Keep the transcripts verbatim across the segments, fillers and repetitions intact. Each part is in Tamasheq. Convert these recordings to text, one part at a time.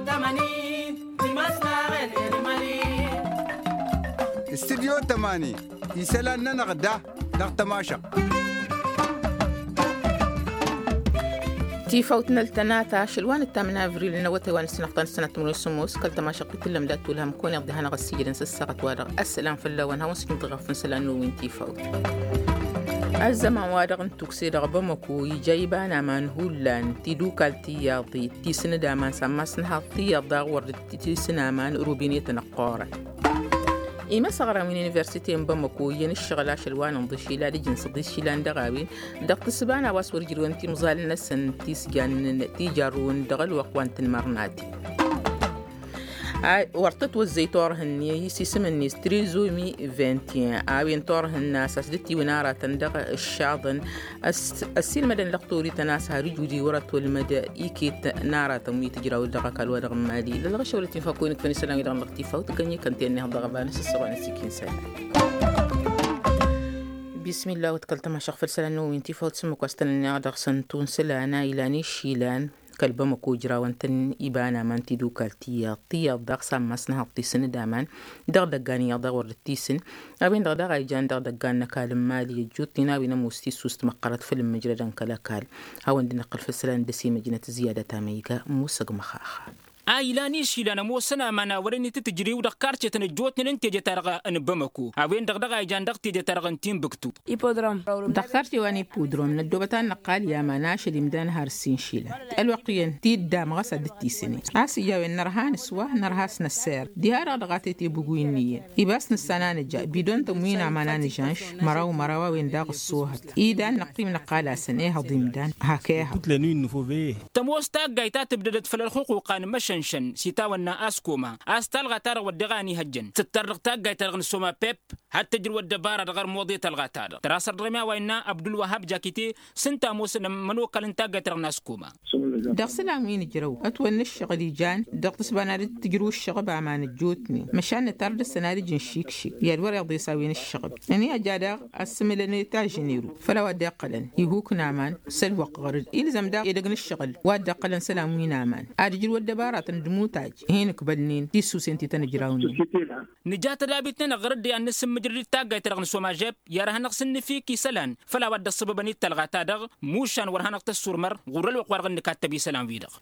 Tămani. Timăslaɣen. Irmali. Studyo tămani. Isălan-nănăɣ da dăɣ-tămašăɣt. Tifawt n-ăltănata ašăl wa n-ǝttam n-avril n-awătay wa n-ǝssinăɣ ta n-ǝssinăɣ timǝrwen s-ămoos kăl-tămašăɣt i-tǝllăm dat-tulhăm kăwăn-iḍḍi hanăɣ-ăssiijădăn s-ăssaɣăt wa-dăɣ. Ăssălam fălla-wen hawăn-sǝjǝmtăɣ ɣef n-isălan n-uwin tifawt. Ăzzăman-wa-dăɣ n-tukse dăɣ-bamăko ija iba n-aman hullan tidukalt tiyyăḍit tisǝnǝd aman sammas n-haḍ tiyyăḍ daɣ wăr dd-tisǝn aman rubinetăn ăqqoorăn. Imăsăɣran wi n-universite n-bamăko iyyăn ǝššăɣǝl ašăl wa n-inḍǝš ila d-ijǝn săḍis išilan dăɣ-a-wen dăɣ-tǝssǝba n-a-wa s-wăr ǝjrǝwăn timẓal-năsăn tisjannǝn tijarrǝwăn dăɣ-ălwăqq wa n-tanmărnaten. Wăr tătwăzzăy turhǝnne isisǝm-net trizomi vingt et un a-wen turhǝnna a-s a-s dd-tiwǝn aratăn dăɣ-ǝššaḍăn. Ăssiilmădăn lăqtorităn a-s har ǝjudi wăr-ătwălmăd iket n-aratăn wi tǝjraw dăɣ-ăkall wa dăɣ-n mali lălɣăšăwălăt infa kăwănăk fănisălan wi dăɣ-năɣ tifawt gănye kăntennehăḍ dăɣ-ăbanăs s-săɣoanăs ikinsa. Bismillah wăt kăl-tămašăɣ făll-isălan n-wi n-tifawt s-ǝmmǝk wa s-tăn-ănneɣ dăɣ-săn tunsǝlan a ilan išilan. Kăl-bamăko ǝjrawăn-tăn iba n-aman tidukalt tiyyăḍ tiyyăḍ daɣ sammas n-ehăḍ tisǝn d-aman dăɣ-idăggan iyyăḍ daɣ wăr dd-tisǝn. A-wen-dăɣ daɣ a ijan dăɣ-idăggan n-ăkall n-mali ăjjuṭṭin a-wen ămoos tissust măqqărăt făll-imǝjrădăn kăl-ăkall. Hawăn-dd-năqqǝl făll-isălan d-ăsimăjnăt ziyyadăt amăyga musăg măxaxa. A ilan išilan ămoosăn aman a wărăn itǝtǝjriw dăɣ-karcetăn ăjjootnen n-teje-ta-dăɣ n-bamăko a-wen-dăɣ daɣ a ijan dăɣ-teje-ta-dăɣ n-tinbǝktu. Dăɣ-karce wa n-ipudrom năddobăt ad-năqqal i-aman ašăl imdan har ǝssin išilan. Ălwăqq iyyăn tiddam ɣas ad-dd-tisǝnen a-s ija a-wen nărha nǝswa nărha a-s năssayăr diha-dăɣ dăɣ-a tete buguy n-iyyăn. Ibas nǝssan a nǝja bidon-tăn wi n-aman a nǝžanš măraw măraw a-wen daɣ ăṣṣoohăt. Idan năqqim năqqal-asăn ehăḍ imdan hak ehăḍ. Tămoos taggayt ta tǝbdădăt făll-ălxuquqa n-imăšănšăn s-itawănna askoma a-s talɣa-ta-dăɣ wădden a ănihăjjăn tǝttar dăɣ-taggayt-ta-dăɣ n-soma pep. Had-tǝjrǝw ăddăbara dăɣ-armuḍe talɣa-ta-dăɣ tăra săr-dăɣ i-ma wa innă abdulwăhab jakite. S-ǝnta ămoosăn ămănokal n-taggayt-ta-dăɣ n-askoma. Dăɣ-isălan wi n-ǝjrăw ătwănna ǝššăɣǝl ijan dăɣ-tǝsba n-ad-tǝjrǝw ǝššăɣǝb aman ăjjootnen măšan nǝtar dăr-săn ad-ǝjǝn šikšik i-ad-wăr-iḍes a-wen ǝššăɣǝb. Ănihăjja daɣ ăssǝmǝlăn i-tažǝneru făll-a-wa dd-iqqălăn ihuk n-aman s-ălwăqq ɣăr-dd ilzăm daɣ edăgg n-ǝššăɣǝl wa dd-iqqălăn isălan wi n-aman ad-ǝjrǝw ăddăbaratăn d-imutaj. Hin-ǝkbălnen tissusen ti tăn-ǝjrawnen. Nǝja tădabit-nănăɣ ɣăr-dd i-ad-nǝsǝmmǝjrăd d-taggayt-ta-dăɣ n-somajeb i-ad-hanăɣ-sǝnnǝfik isălan făll-a-wa dd-ăṣṣăbăbăn i-talɣa ta-dăɣ. Mušan wăr hanăɣ-tăssurmăr ɣur-ălwăqq-wa-dăɣ ǝnnǝk ad-tăbi isălan-wi-dăɣ.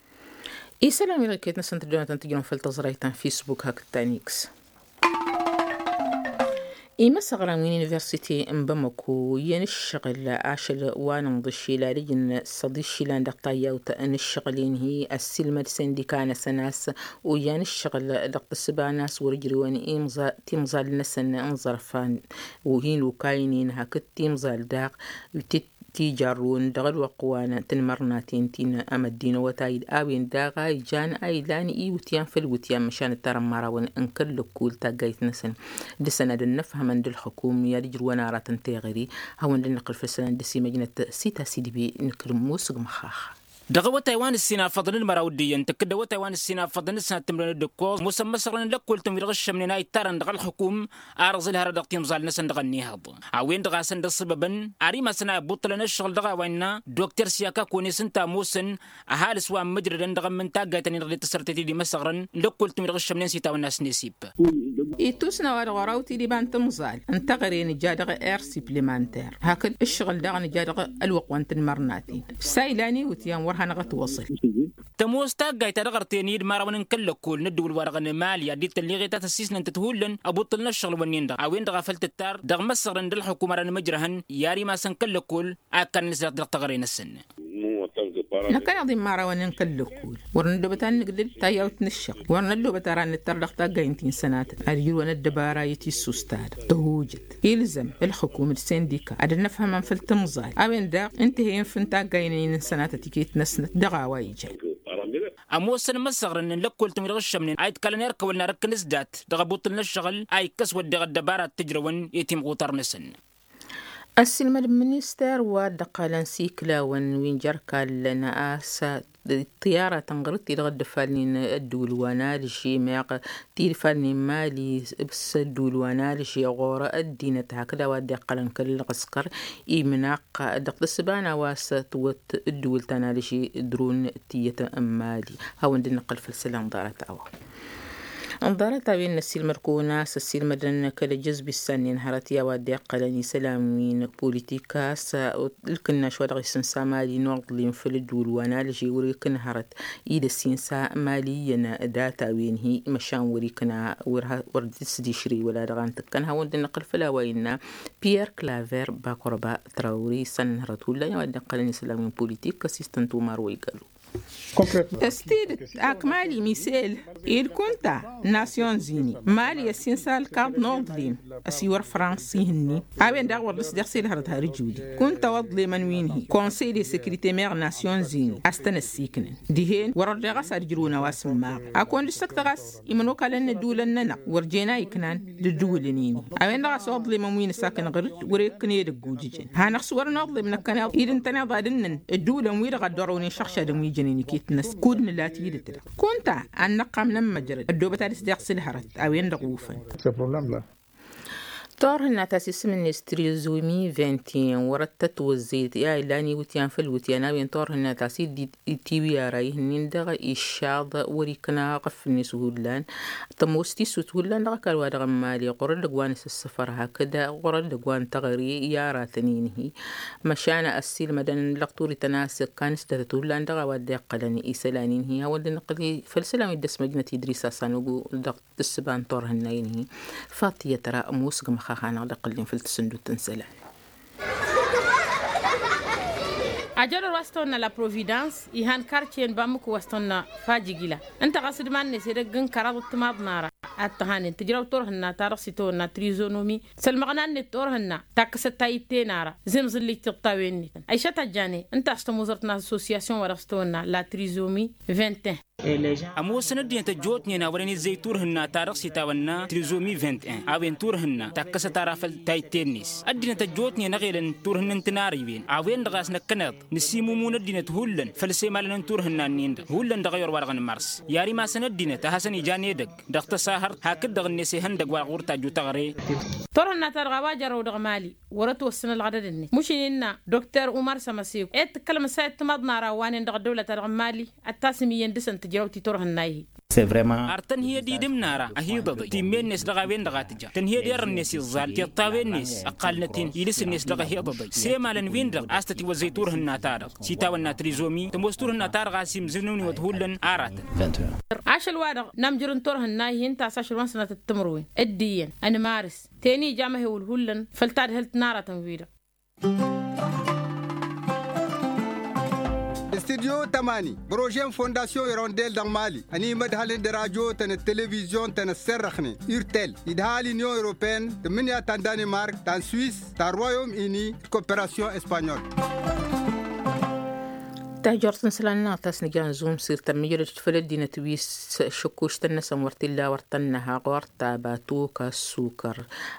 Isălan-wi-dăɣ iket-năsăn tǝjjănătăn tǝjjănăn făll-tăẓrayt ta n-fisbuk hakd ta n-iks. Imăsăɣran wi n-universite n-bamăko iyyăn ǝššăɣǝl ašăl wa n-inḍǝššel ad-ǝjǝn săḍiššilan dăɣ-tayyawt n-ǝššăɣǝl-in-hi ăssiilmăd sindika-năsăn a-s oyyăn ǝššăɣǝl dăɣ-tǝssǝba n-a-s wăr-ǝjrǝwăn timẓal-năsăn n-iẓărfan. Hin-okaynen hakd timẓal daɣ tijarrǝwăn dăɣ-ălwăqq wa n-tanmărnaten ti n-amăddin awătay d-a-wen daɣ a ijan a ilan iwǝtyan făll-iwǝtyan măšan ǝttarăn imărawăn n-kăl-lăkkul taggayt-năsăn. Dăr-săn ad-ănnăfhămăn d-ălxukum i-ad-ǝjrǝwăn aratăn teɣăre. Hawăn-dd-năqqǝl făll-isălan d-ăsimăjnăt s-itasǝdbi n-kǝlǝmmos g-măxaxa. Dăɣ-awătay wa n-ǝssin afăḍăn d-măraw d-iyyăn tǝkkǝd awătay wa n-ǝssin afăḍăn d-sănat timǝrwen d-ǝkkoẓ ămoosăn imăsăɣrăn n-lăkkol-tăn wi-dăɣ ǝššămnen a ittarăn dăɣ-ălxukum. Ar ǝẓǝl hărăt dăɣ-timẓal-năsăn dăɣ-ănnihăḍ a-wen-dăɣ a-săn dd-ăṣṣăbăbăn ar imasăn a ibuṭṭǝlăn ǝššăɣǝl dăɣ-a-wa innă dokter siyaka kăwăn-e-s ǝnta ămoosăn. Ăhalǝs wa ămmǝjrădăn dăɣ-ămm n-taggayt-ănnin-dăɣ dd-tăsărtet-dd imăsăɣrăn n-lăkkol-tăn wi-dăɣ ǝššămnen s-itawănna s-nesip. Ittusna wa dăɣ-oraw tidǝba n-timẓal n-teɣăre nǝja dăɣ-air suplemanter hakd ǝššăɣǝl daɣ nǝja dăɣ-ălwăqq wa n-tanmărnaten. S-a ilan iwǝtyan wăr hanăɣ-ătwăẓǝl. Tămoos taggayt ta dăɣ-ărten i-dd-imărawăn n-kăl-lăkkol n-ăddǝwǝl-wa-dăɣ n-emali ad-dd-tălleɣet a tăssisnăn tăt-hullan ăbuṭṭǝlăn ăššăɣǝl-wǝnnin-dăɣ a-wen-dăɣ a făl tǝttar dăɣ-imăsăɣrăn d-ălxukum ara n-imǝjrăhăn i-ar imasăn kăl-lăkkol. Akkăn n-isrăt dăɣ-teɣăre-năsăn. Năkkăneḍ imărawăn n-kăl-lăkkol wăr năddobăt ad-nǝgdǝd tayyawt n-ǝššăɣ wăr năddobăt ara ad-nǝttăr dăɣ-taggaynt-in sănatăt ad-ǝjrǝwăn ăddăbara i-tissust-ta-dăɣ tăhujăt. Ilzăm ălxukum d-sindika ad-ănnăfhămăn făll-timẓal a-wen daɣ ǝnta ih'-e infǝn taggaynen n-sănatăt iket-năsnăt dăɣ-a-wa ijan. Ămoosăn imăsăɣrăn n-lăkkol-tăn wi-dăɣ ǝššămnen a iḍkalăn erk ăwăl n-arǝkkăn s-dat dăɣ-abuṭṭǝl n-ǝššăɣǝl a ikkăs wădden ăddăbara d-tǝjrăwăn i-timɣutar-năsăn. Ăssiilmăd n-minister wa dd-ăqqalăn s-iklawăn wi n-jer-kallăn a-s ṭṭiyara tănɣăr-t-dd-ăddăfalnen ădduul wa n-alži meɣ tidfalnen mali s-ădduul wa n-alži ɣur-ăddinăt hakd a-wa dd-iqqălăn kăl-ălɣǝskăr imnaqq dăɣ-tǝssǝba n-a-wa s-tǝwwăt ădduul ta n-alži drun tiyyăt n-mali. Hawăn-dd-nǝqqǝl făll-isălan ḍarăt a-wa. Ǝnḍarăt a-wen n-ăssiilmăd-kăwăn a-s ăssiilmădăn kăl-ăjjăzbi s-annin hărăt i-a-wa dd-iqqălăn isălan wi n-politik a-s ǝlkǝnnaš wa dăɣ-isǝnsa mali n-uḍlim făll-ădduul wa n-alži wăr-ikǝn hărăt ila ăssiinsa mali iyyăn data-wen-hi măšan wăr-ikǝna wăr dd-sdišri wăla dăɣ-a n-tǝkkăn hawăn-dd-năqqǝl făll-a-wa innă pierre claver bakorba trawri s-annin hărăt hullan i-a-wa dd-iqqălăn isălan wi n-politik ăssistăn tumar wa igalu. S-tidǝt ak mali misel ed kunta n-nasyon zini mali ăssinsal kaḍ n-oḍlim ăsiwăr frans ihǝnni a-wen daɣ wăr dăɣ-s deɣ s-ilhărăt har ijudi kunta oḍlemăn wi n-hi konsey de sekrite meɣ nasyon zini a-s tăn-ăssiknăn dihen wăr-ărdăɣ a-s ad-ǝjrǝwăn a-wa s-ǝmmaɣ. Akăwăn dăɣ-s ăktăɣ a-s imănokalăn n-ădulăn-nănăɣ wăr jen a iknan d-ǝddǝwǝlăn-in-hi. A-wen-dăɣ a-s oḍlemăn wi n-asakăn ɣăr-dd wăr-e ǝkkǝn edăgg ujǝjăn hanăɣ-s wăr-năḍlem năkkăneḍ id ǝntăneḍ ad-ǝnnăn ădduulăn wi-dăɣ a dd-orăwnen šăɣšadăn wi jănen iket-năsăn kud nǝla tidǝt-dăɣ kunta ad-năqqam n-ămmăjrăd ăddoobăt ad-ǝsdeɣ s-ǝlhărăt. A-wen-dăɣ ufăn. Turhǝnna ta s-isǝm-net trizomi vingt et un wăr-ăttătwăzzăyăt i-a illan iwǝtyan făll-iwǝtyan a-wen turhǝnna ta s-dd-tiwǝy ara ihǝnnin-dăɣ iššaḍ wăr-ikna aɣăf-net hullan. Tămoos tisut hullan dăɣ-ăkall wa dăɣ-n mali ɣur-ăddăg wa n-asǝssăfăr hakd ɣur-ăddăg wa n-teɣăre i-aratăn-in-hi. Măšan ăssiilmădăn lăqturităn a-s ǝkkan s-datăt hullan dăɣ-a-wa dd-iqqălăn isălan-in-hi hawăn-dd-nǝqqǝl făll-isălan wi dd-ăsmăjnăt idris asanugu dăɣ-tǝssǝba n-turhǝnna-in-hi. Faṭiyăt ra ămoosgăm xaxanăɣ d-iqqǝllen făll-tǝsǝndut n-isălan. Ajădor wa s-tăwănna la providans ihan kartiye n-bamǝku wa s-tăwănna fajigila ǝnta ɣas d-iman-net edăgg n-kăraḍ d-timaḍ n-ara ad-tăhanen tǝjraw turhǝnna ta dăɣ-s itawănna trizonomi s-ălmăɣna-net turhǝnna takkăsăt ta itte n-ara zimẓǝllij tiḍtawen-net. Ăyšăt ăjjane ǝnta a-s tămuzărt n-associasyon wa dăɣ-s-tawănna la trizomi vingt et un. Ămoosăn ăddinăt ăjjootnen a wăren izzăy turhǝnna ta dăɣ-s itawănna trizomi vingt et un a-wen turhǝnna takkăsăt ara făll-tayǝtte-net. Ăddinăt ăjjootnen ăɣelăn turhǝnna n-tinarăywen a-wen-dăɣ a-s năkkăneḍ nǝsimumun ăddinăt hullan făll-isemalăn n-turhǝnna-nin-dăɣ hullan dăɣ-ayăr wa dăɣ-nǝmărǝs. I-ar imasăn ăddinăt a hasăn-ijan edăgg dăɣ-tăsahărt hakd-dăɣ-net ihăndăg wa dăɣ-wăr tajju teɣăre. Turhǝnna-ta-dăɣ a-wa jărrăw dăɣ-mali wăr-ătwăssăn ălɣădăd-net mušǝn innă dokter umar sămăseko ed tǝkkălăm ǝssa i-ăttămaḍ n-ara ăwwanen dăɣ-ăddăwlăt-ta-dăɣ n-mali ad-tasǝm iyyăn dăɣ-săn tǝjraw ti-turhǝnna-i-hi. Ar tănhǝyăd idǝm n-ara ăhiḍăḍăy timmen-net dăɣ-a-wen-dăɣ a tǝja tǝnhǝyăd err-net iẓẓal tiṭṭawen-net ăqqalnăt-in idǝs-net dăɣ-ăhiḍăḍăy s-emalăn-win-dăɣ a-s tătiwăzzăy turhǝnna-ta-dăɣ s-itawănna trizomi tămoos turhǝnna-ta-dăɣ a-s imzǝnnǝwnen wăt hullan aratăn. Ašăl-wa-dăɣ n-amjăr n-turhǝnna-hi ǝnta a-s ašăl wa n-sănatăt timǝrwen d-iyyăn ănmarǝs ten ija amăhewăl hullan făll-tadhǝlt n-aratăn-wi-dăɣ. Studyo tămani prože n-fondasyon irondel dăɣ-mali ănimădhălăn d-radyo-tăn d-televizyon-tăn ăsserrăxnen urtel idha l-inyon europene tǝmmǝnǝya ta n-danimark ta n-swis ta n-royom ini d-koperasyon espanyol. Tajort n-isălan-năɣ ta s-nǝja n-zumsir tămmijrăd făll-ăddinăt wi s-šăkkuštăn-năsăn wăr t-illa wăr tănnăha ɣur-ta batuka ăssukăr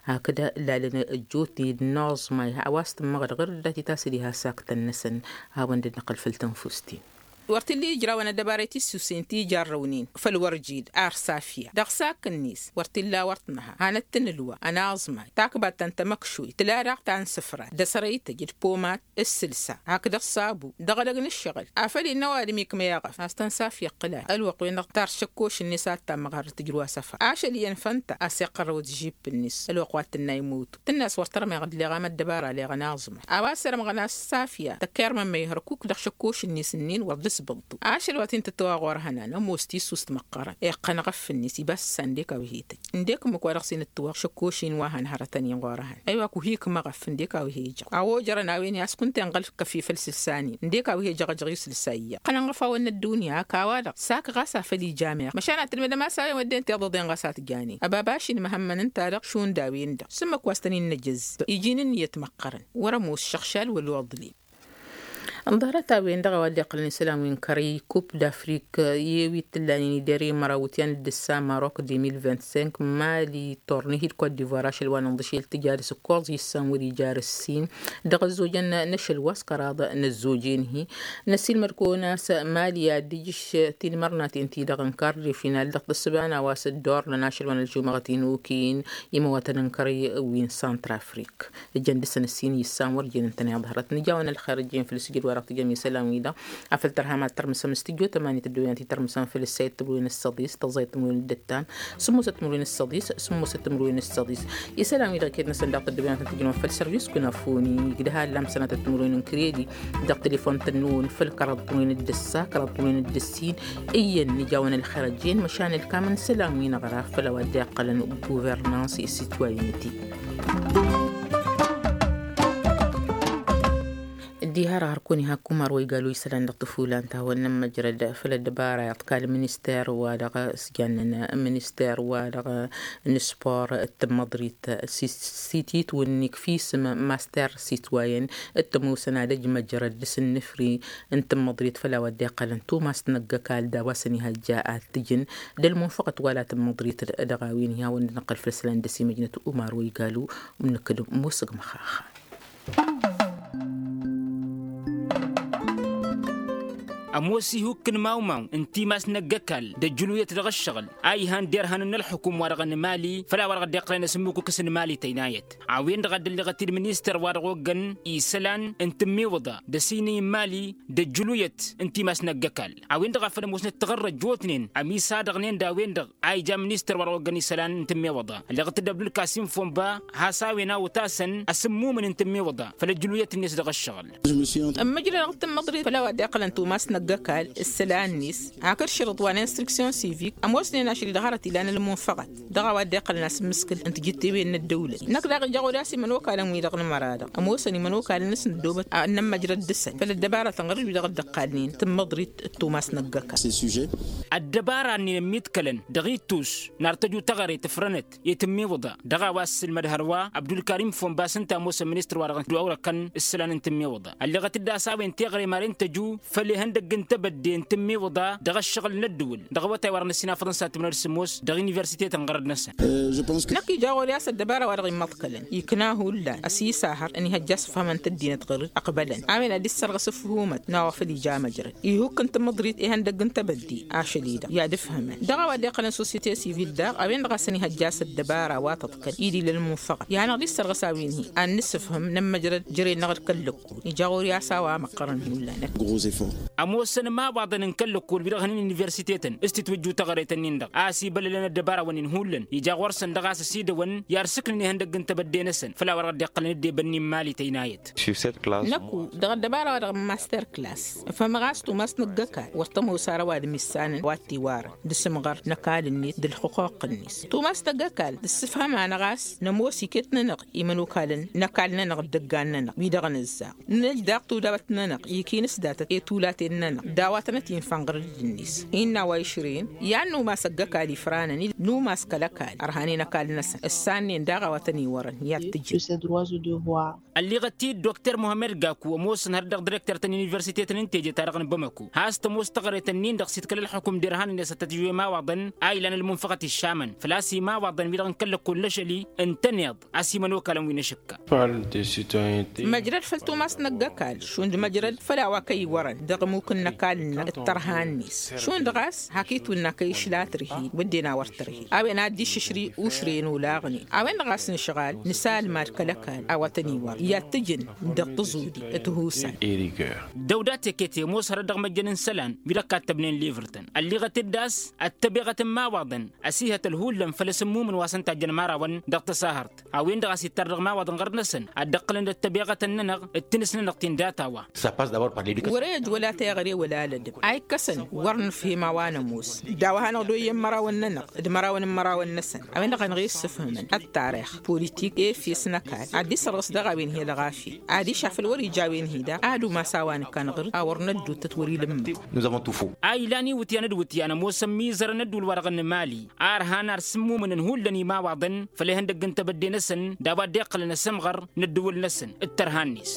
hakd lalăn ăjjootnen d-inaẓmay a-wa s-tǝmmăɣ d-ɣǝr-dd a titasăd iha saktăn-năsăn. Hawăn-dd-năqqǝl făll-tănfust-in. Wăr t-illa ijrawăn ăddăbarăy tissusen ti jarrăwnen făll-wăr jid ar safya dăɣ-sakk-net wăr t-illa wăr t-nǝha hanăt-tǝnǝlwa ănaẓmay takbat ta n-tamăkšoyt tǝla daɣ ta n-sǝfra d-asărăytăj d-pomat d-sǝlsa hakd ăṣṣabu dăɣ-edăgg n-ǝššăɣǝl. Afăl innă ăwadǝm ikmăy aɣăf a-s tăn-safya ǝqqǝl-a ălwăqq-wen-dăɣ tar šăkkoš-net a t-tammăɣ har tǝjrǝw asăfra ašăl iyyăn fănta a-s iqqărrăw d-žip-net ălwăqq wa t-tǝnna imotu tǝnna a-s wăr tărmeɣ dd-leɣ am ăddăbara leɣ ănaẓmay. A-wa ăssărămɣăn a-s safya tăkkirmăn ma ih-răkuk dăɣ-šăkkoš-net-nin wăr dd-sbăḍtu ašăl wa t-in-tǝttăwa ɣur-ehănan ămoos tissust măqqărăn iqqăn ɣăf-net ibassa ǝndek a-wa he-tăj ǝndek ǝmmǝk wa dăɣ-s in-ǝttǝwăɣ šăkkoš-in wa hăn hărătăn-in ɣur-ehăn. Ăywa kuhi-k măɣăf ǝndek a-wa he-jăɣ a-wa ojărăn a-wen i-a-s kunta inɣăl kăf-i făll-isǝlsa-nin ǝndek a-wa he-jăɣ ăjăɣ i-isǝlsa iyyăɣ ǝqqănăn ɣăf-awăn n-ăddunya hak a-wa-dăɣ sak ɣas a făl ija meɣ măšan ad-tǝlmǝdăm a-s a-wen wădden tiḍăḍen ɣas a t-janen ăbabaš-in măhămmăn ǝnta-dăɣ šund a-wen-dăɣ s-ǝmmǝk wa s-tăn-in-nǝjăzzăb iji n-ǝnniyăt măqqărăn wăr-ămoos šăɣšal wăla uḍlim. Ǝnḍarăt a-wen-dăɣ a-wa dd-iqqălăn isălan wi n-kărăy kup d-afrik i-wi t-ǝllanen idere măraw iwǝtyan d-ǝssa marok deux mille vingt-cinq, mali, tornihi d-kot divoir ašăl wa n-inḍǝšel tǝja d-asǝkkoẓ issan wăr-ija ar ǝssin. Dăɣ-ăzzojăn n-ašăl wa s-kăraḍ n-ăzzoj enhi. Năssiilmăd-kăwăn a-s mali ad-dd-ijǝš tinmărnaten-ti-dăɣ n-kart de final dăɣ-tǝssǝba n-a-wa s-dd-ornăn ašăl wa n-ălžumăɣăt inukin imăwatăn n-kărăy wi n-santrafrik. Ǝjăn dăɣ-săn ǝssin issan wăr jen ǝntăneḍ hărăt nǝjawăn ălxer ăjjeen făll-sǝjǝd wa dăɣ-tǝjăm isălan-wi-dăɣ. Afăl tărha mad-tărmǝsăm s-tǝjjo tămani tăddoyăn ti tărmǝsăm făll-ǝssayăt timǝrwen s-săḍis tăẓẓayăt timǝrwen d-ǝttam. Sǝmmosăt timǝrwen s-săḍis sǝmmosăt timǝrwen s-săḍis. Isălan-wi-dăɣ iket-năsăn daɣ tăddoyăn tăn-tǝjnăwăn făll-sărvis kunafoni igdăha ăllam sănatăt timǝrwen n-kredi. Dăɣ-telefon tănnuwăn făll-kăraḍ timǝrwen d-ǝssa kăraḍ timǝrwen d-ǝssin. Iyyăn nǝjawăn ălxer ăjjeen măšan ălkam n-isălan-wi-năɣ ra făll-a-wa dd-iqqălăn guvernans i-sitwayinăti. Dd-iha răɣ-hărkăwăn iha ăkkumar wa igal wa isălan dăɣ-tăfulan ta hawăn-nămmăjrăd făll-ăddăbara iḍkal minister wa dăɣ-s jannen minister wa dăɣ-nǝspor d-tǝmmăḍrit s-sititwǝnnik fisǝm master sitwayen d-tămoosăn ad-ăjmăjrăd dăɣ-s ǝnnǝfri n-tǝmmăḍrit făll-a-wa dd-iqqălăn tumas n-ăgg-ăkall d-a-wa s-ănihăjja ad-t-ǝjǝn d-ălmunfăɣăt wa la tǝmmăḍrit. Dăɣ-a-wen hi-hawăn-dd-năqqăl făll-isălan dăɣ-s imăjnăt umar wa igalu. Ǝmnǝkǝd musǝg măxaxa. Ămoos ihukk n-imawmaw n-timas n-ăgg-ăkall d-ăjjǝluyăt dăɣ-ǝššăɣǝl a ihan derhan n-ălxukum-wa-dăɣ n-mali făll-a-wa-dăɣ dd-iqqălăn asǝmmukǝk s-n-mali tăynayăt. A-wen-dăɣ a dd-ălleɣăt-dd ministăr wa dăɣ-oggăn isălan n-tǝmmiwǝḍa d-ăsinǝy n-mali d-ăjjǝluyăt n-timas n-ăgg-ăkall. A-wen-dăɣ a făl ămoosnăt taɣărrăjotnen ămisadăɣnen d-a-wen-dăɣ a ija ministăr wa dăɣ-oggăn isălan n-tǝmmiwǝḍa ălleɣăt-dd abdulkasim fonba has-a-wen a otasăn asǝmmumǝn n-tǝmmiwǝḍa făll-ăjjǝluyăt-net dăɣ-ăššăɣǝl. Ămmăjrăd dăɣ-tǝmmăḍrit făll-a-wa dd-iqqălăn tumas n-ăgg-ăkall s-isălan-net hakd šărǝḍ wa n-instruksyon sivik ămoosnen ašăl-i dăɣ-hărăt ilan ălmunfăɣăt dăɣ-a-wa dd-iqqălăn asǝmmǝskǝl n-tijǝttewen n-ăddăwlăt. Năkk daɣ ija ɣur-i a-s imănokalăn-wi-dăɣ n-măra-dăɣ ămoosăn imănokalăn-năsăn ăddoobăt ad-nămmăjrăd dăɣ-săn făll-ăddăbarătăn ɣărăt wi-dăɣ dd-ăqqalnen tǝmmăḍrit d-tumas n-ăgg-ăkall. Ăddăbara-nin ămmiḍkălăn dăɣ-ittus n-ar tăju taɣăre tǝfrănăt i-tǝmmiwǝḍa dăɣ-a-wa s-sǝlmăd hărwa abdulkarim fonba s-ǝnta ămoosăn ministăr wa dăɣ-dd-wăwrăkăn s-isălan n-tǝmmiwǝḍa ălleɣăt-dd a-s a-wen teɣăre maren tăju făll-ihăndăgg n-tebădde n-tǝmmiwǝḍa dăɣ-ăššăɣǝl n-ăddǝwǝl dăɣ-awătay wa dăɣ-năssin afăḍăn s-ad-tǝmnăd sǝmmos dăɣ-universite-tăn ɣărăd-năsăn. Năkk ija ɣur-i a-s ăddăbara wa dăɣ-immăḍkălăn ikna hullan ăsisahăr ănihăjja asǝfhămăn tăddinăt ɣǝr-dd ăqbălăn a-wen ad-dd-issărɣăs ǝfhumăt n-a-wa făl ija măjrăd ihukk n-tǝmmǝḍrit ihăndăgg n-tebădde ašăl-i-dăɣ i-ad-ǝfhămăn dăɣ-a-wa dd-iqqălăn sosyete sivil daɣ a-wen-dăɣ a-s ănihăjja a-s ăddăbara wa tăḍkăl-i d-ila ălmunfăɣăt i-ad-hanăɣ-dd-issărɣǝs a-wen-hi ad-nǝsǝfhǝm nămmăjrăd jere-năɣ d-kăl-lăkkol ija ɣur-i a-s a-wa măqqărăn hullan. Ămoosăn imawaḍăn n-kăl-lăkkol wi-dăɣ hănen universitetăn s-titwǝjju taɣăret-ǝnnin-dăɣ a ăsibăllălăn ăddăbarawăn-in hullan ija ɣur-săn dăɣ-a-s ăsidăwăn i-ad-sǝknǝn ihăndăgg n-tebădde-năsăn făll-a-wa dăɣ-dd-iqqălăn dd-ebănni n-imali tăynayăt. Năkku dăɣ-ăddăbara wa dăɣ-master class ǝfhămăɣ a-s tumas n-ăgg-ăkall wăr tămoos ara ăwadǝm issanăn wa t-iwarăn d-asǝmɣăr n-ăkall-net d-ălxuquq-net tumas n-ăgg-ăkall tǝssǝfhăm-anăɣ a-s nămoos iket-nănăɣ imănokalăn n-ăkall-nănăɣ d-ăggan-nănăɣ wi-dăɣ nǝzzaɣ nǝj daɣ tudabăt-nănăɣ ikinǝs datăt i-tulaten-nănăɣ d-a-wa tănăt-infan ɣǝr-dd-net. Innă a-wa išrǝyăn i-ad-numas ăgg-ăkall ifranăn-i numas kăl-ăkall ărhanen ăkall-năsăn ǝssannen daɣ a-wa tăn-iwărăn i-ad-t-ǝjǝn. Ălliɣăt-dd dokter muhămmăd gaku ămoosăn hărăt dăɣ-direkter ta n-universitetăn n-teje-ta-dăɣ n-bamăko has-tămoos taɣăret-ǝnnin-dăɣ s-itkăl ălxukum d-irhanen i-ad-sătăt imawaḍăn a ilan ălmunfăɣăt iššamăn făl-a-s imawaḍăn wi-dăɣ n-kăl-lăkkol n-ašăl-i ǝntăneḍ a-s imănokalăn wi n-ašǝkka. Măjrăd făll-tumas n-ăgg-ăkall šund măjrăd făll-a-wa kăy-iwărăn dăɣ-ămmuk n-ăkall-nănăɣ d-tărha-net šund ɣas hak-itwǝnna kăy-išla tărhi wădden a wăr tărhi a-wen ad-dd-iššǝšri ušrăyăn olaɣnen a-wen-dăɣ a-s nǝšɣal nǝsalmad kăl-ăkall a-wa tăn-iwărăn i-ad-t-ǝjǝn dăɣ-tăẓudi. Tǝhusan. Dăw-dat ekete ămoos hărăt dăɣ-măjjăn n-isălan wi-dăɣ kattăbnen livrǝtăn ălliɣăt-dd a-s ăttăbeɣăt n-imawaḍăn ăsihătăl hullan făll-asǝmmumǝn wa s-ǝnta a ǝjjăn imărawăn dăɣ-tăsahărt a-wen-dăɣ a-s ittar dăɣ-imawaḍăn ɣărnăsăn ad-dd-ǝqqǝlăn d-ăttăbeɣătăn-nănăɣ d-tinǝs-nănăɣ ti n-data-wa. Wăr-e ăj wăla teɣăre wăla alădăm a ikkăsăn wăr nǝfhim a-wa nămoos d-a-wa hanăɣ-dd-oyyăn imărawăn-nănăɣ d-imărawăn n-imărawăn-năsăn a-wen-dăɣ a năɣ-e ǝssǝfhǝmăn ăttarix politik efes n-ăkall ad-dd-issărɣǝs dăɣ-a-wen hi-ălɣafyăt adiš afăl wăr-ija a-wen hi-daɣ ad-umas a-wa nǝkkan ɣǝr-dd a wăr năddut tăt-wăr-ila ǝmmǝk. A ilan iwǝtyan d-iwǝtyan ămoosăn imizărăn n-ăddul-wa-dăɣ n-mali a ărhan ar sǝmmumǝnăn hullan imawaḍăn făll-ihăndăgg n-tebădde-năsăn d-a-wa dd-iqqălăn asǝmɣăr n-ăddǝwǝl-năsăn d-tărha-net.